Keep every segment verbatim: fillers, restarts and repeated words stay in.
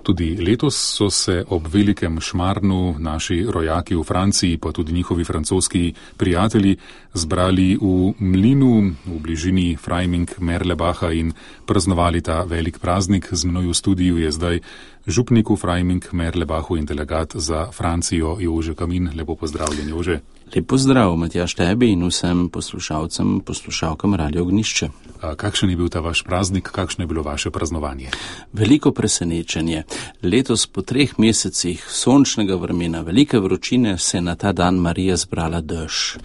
Tudi letos so se ob velikem šmarnu naši rojaki v Franciji, pa tudi njihovi francoski prijatelji, zbrali v mlinu v bližini Freiming-Merlebacha in praznovali ta velik praznik. Z mnoj v studiu je zdaj župnik v Freiming-Merlebachu in delegat za Francijo Jože Kamin. Lepo pozdravljen, Jože. Lep pozdrav, Matjaž, tebi in vsem poslušalcem, poslušalkam Radio Ognišče. A kakšen je bil ta vaš praznik, kakšno je bilo vaše praznovanje? Veliko presenečenje. Letos po treh mesecih sončnega vremena, velike vročine, se je na ta dan Marija zbrala dež.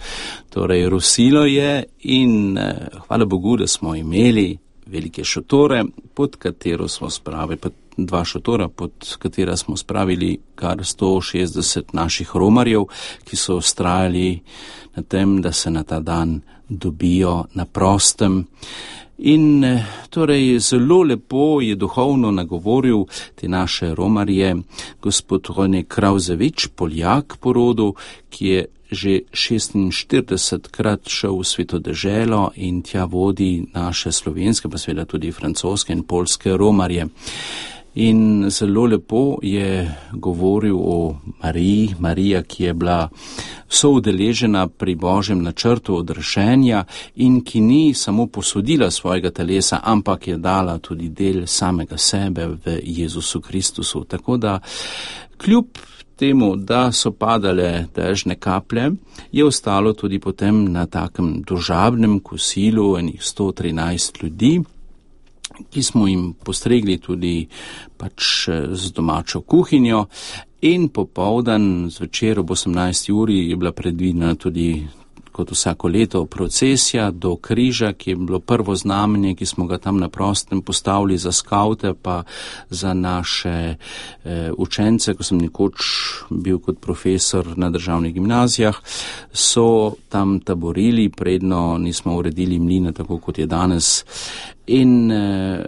Torej, rosilo je in eh, hvala Bogu, da smo imeli velike šotore, pod katero smo spravili, pod dva šotora, pod katera smo spravili kar sto šestdeset naših romarjev, ki so vztrajali na tem, da se na ta dan dobijo na prostem. In torej zelo lepo je duhovno nagovoril te naše romarje gospod Rone Krauzevič, Poljak po rodu, ki je že šestinštiridesetkrat šel v Sveto deželo in tja vodi naše slovenske, pa seveda tudi francoske in poljske romarje. In zelo lepo je govoril o Mariji, Marija, ki je bila soudeležena pri Božjem načrtu odrešenja in ki ni samo posodila svojega telesa, ampak je dala tudi del samega sebe v Jezusu Kristusu. Tako da kljub temu, da so padale dežne kaplje, je ostalo tudi potem na takem družabnem kosilu enih sto trinajst ljudi, ki smo jim postregli tudi pač z domačo kuhinjo, in popoldan zvečer ob osemnajsti uri je bila predvidena tudi kot vsako leto procesija do križa, ki je bilo prvo znamenje, ki smo ga tam na prostem postavili za skavte, pa za naše e, učence, ko sem nekoč bil kot profesor na državnih gimnazijah, so tam taborili, predno nismo uredili mline, tako kot je danes. In e,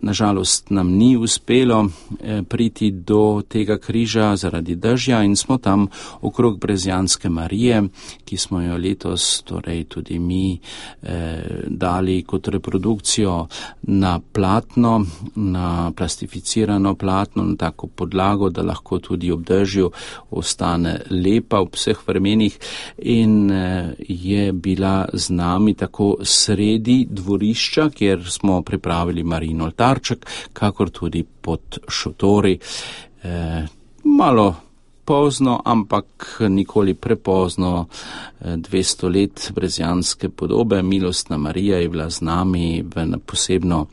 nažalost nam ni uspelo e, priti do tega križa zaradi dežja in smo tam okrog Brezjanske Marije, ki smo jo letos torej tudi mi e, dali kot reprodukcijo na platno, na plastificirano platno, na tako podlago, da lahko tudi ob dežju ostane lepa v vseh vremenih, in e, je bila z nami tako sredi dvorišča, kjer smo pripravili Marijin oltarček, kakor tudi pod šotori. E, malo pozno, ampak nikoli prepozno, dvesto let brezjanske podobe, milostna Marija je bila z nami v, posebno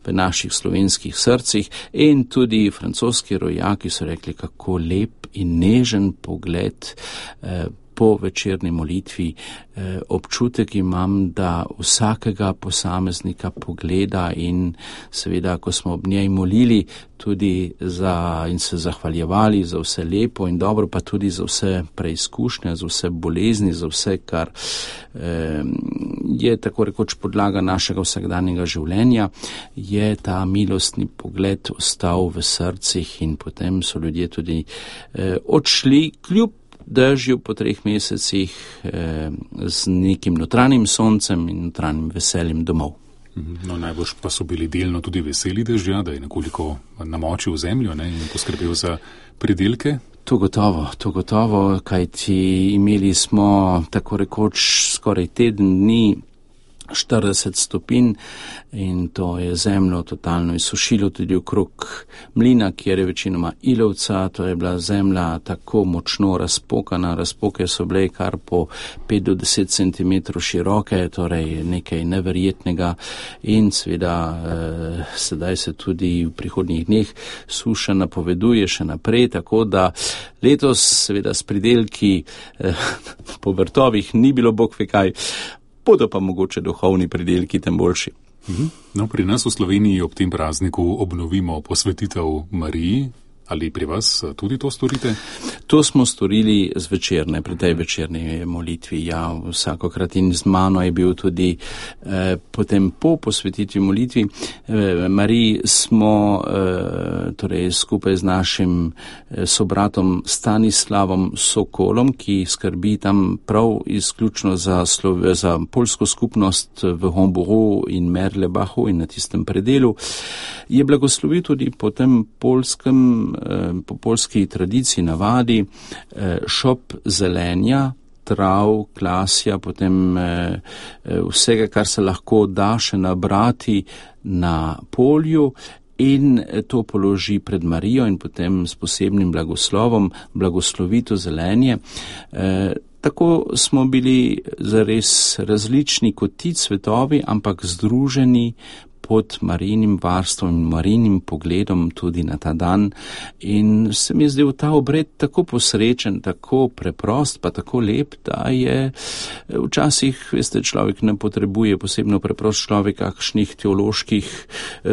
v naših slovenskih srcih, in tudi francoski rojaki so rekli, kako lep in nežen pogled eh, po večerni molitvi. Eh, občutek imam, da vsakega posameznika pogleda, in seveda, ko smo ob njej molili tudi za, in se zahvaljevali za vse lepo in dobro, pa tudi za vse preizkušnje, za vse bolezni, za vse, kar eh, je tako rekoč podlaga našega vsakdanjega življenja, je ta milostni pogled ostal v srcih, in potem so ljudje tudi eh, odšli kljub dežju po treh mesecih eh, z nekim notranjim soncem in notranjim veseljem domov. No, najbolj pa so bili delno tudi veseli dežja, da je nekoliko namočil zemljo, ne, in poskrbel za pridelke. To gotovo, to gotovo, kajti imeli smo tako rekoč skoraj teden dni štirideset stopinj, in to je zemljo totalno izsušilo tudi okrog mlina, kjer je večinoma ilovca. To je bila zemlja tako močno razpokana, razpoke so bile kar po pet do deset centimetrov široke, torej nekaj neverjetnega, in seveda eh, sedaj se tudi v prihodnjih dneh suša napoveduje še naprej, tako da letos seveda s pridelki eh, po vrtovih ni bilo bog ve kaj, bodo pa mogoče duhovni pridelki tem boljši. No, pri nas v Sloveniji ob tem prazniku obnovimo posvetitev Mariji. Ali pri vas tudi to storite? To smo storili zvečerne, pri tej večerni molitvi. Ja, vsakokrat, in z mano je bil tudi eh, potem po posvetitvi molitvi. Eh, Mariji smo eh, torej skupaj z našim eh, sobratom Stanislavom Sokolom, ki skrbi tam prav izključno za, Slove, za poljsko skupnost v Homburu in Merlebachu in na tistem predelu. je blagoslovil tudi po tem polskem, po polski tradiciji navadi šop zelenja, trav, klasja, potem vsega, kar se lahko da še nabrati na polju, in to položi pred Marijo in potem s posebnim blagoslovom blagoslovi to zelenje. E, tako smo bili zares različni kot ti cvetovi, ampak združeni pod Marijinim varstvom in Marijinim pogledom tudi na ta dan. In se mi je zdel ta obred tako posrečen, tako preprost, pa tako lep, da je včasih, veste, človek ne potrebuje, posebno preprost človek, kakšnih teoloških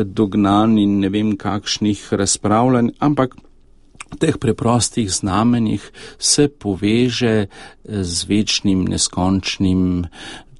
dognanj in ne vem kakšnih razpravljanj, ampak v teh preprostih znamenjih se poveže z večnim, neskončnim,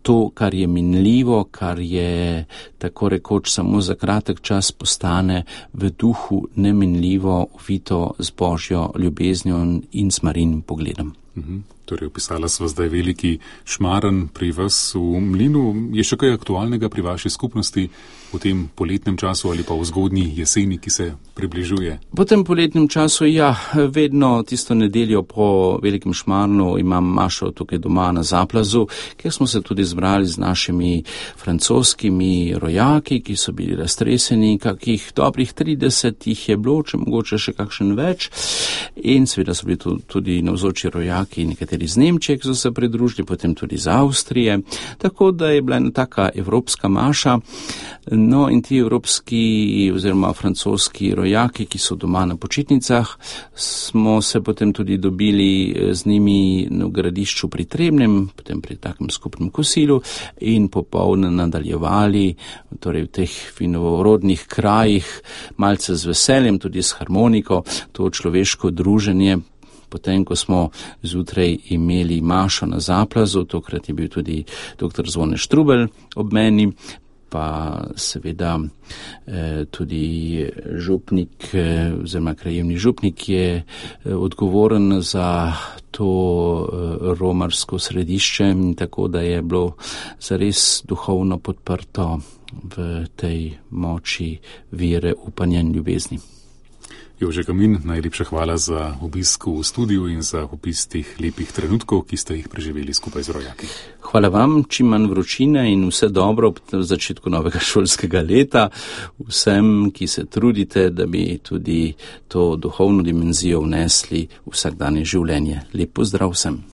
to, kar je minljivo, kar je tako rekoč samo za kratek čas, postane v duhu neminljivo, ovito z Božjo ljubeznijo in s Marijinim pogledom. Mhm. Torej, opisala sva zdaj veliki šmaren pri vas v mlinu. Je še kaj aktualnega pri vaši skupnosti v tem poletnem času ali pa v zgodnji jeseni, ki se približuje? Po tem poletnem času, ja, vedno tisto nedeljo po velikem šmarnu imam mašo tukaj doma na Zaplazu, kjer smo se tudi zbrali z našimi francoskimi rojaki, ki so bili raztreseni, kakih dobrih trideset jih je bilo, če mogoče še kakšen več. In seveda so bili tudi navzoči rojaki, nekateri iz Nemčije, ki so se pridružili, potem tudi iz Avstrije, tako da je bila ena taka evropska maša. No in ti evropski oziroma francoski rojaki, ki so doma na počitnicah, smo se potem tudi dobili z njimi v Gradišču pri Trebnjem, potem pri takem skupnem kosilu in popolne nadaljevali, torej v teh vinorodnih krajih, malce z veseljem, tudi s harmoniko, to človeško druženje. Potem, ko smo zjutraj imeli mašo na Zaplazu, tokrat je bil tudi doktor Zvone Štrubelj ob meni, pa seveda eh, tudi župnik, eh, oziroma krajevni župnik je eh, odgovoren za to eh, romarsko središče, tako da je bilo zares duhovno podprto v tej moči vere, upanja in ljubezni. Jože Kamin, najlepša hvala za obisk v studiu in za opis teh lepih trenutkov, ki ste jih preživeli skupaj z rojaki. Hvala vam, čim manj vročine in vse dobro ob začetku novega šolskega leta. Vsem, ki se trudite, da bi tudi to duhovno dimenzijo vnesli v vsakdanje življenje. Lep pozdrav vsem.